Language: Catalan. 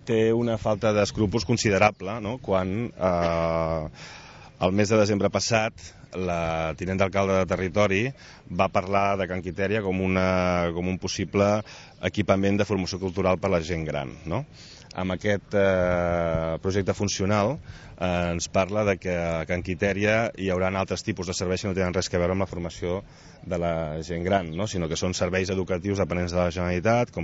té una falta d'escrúpols considerable, no? Quan el mes de desembre passat la tinent d'alcalde de territori va parlar de Can Quitèria com un possible equipament de formació cultural per a la gent gran, no? Amb aquest projecte funcional ens parla de que a Can Quitèria hi haurà altres tipus de serveis que no tenen res a veure amb la formació de la gent gran, no? Sinó que són serveis educatius dependents de la Generalitat, com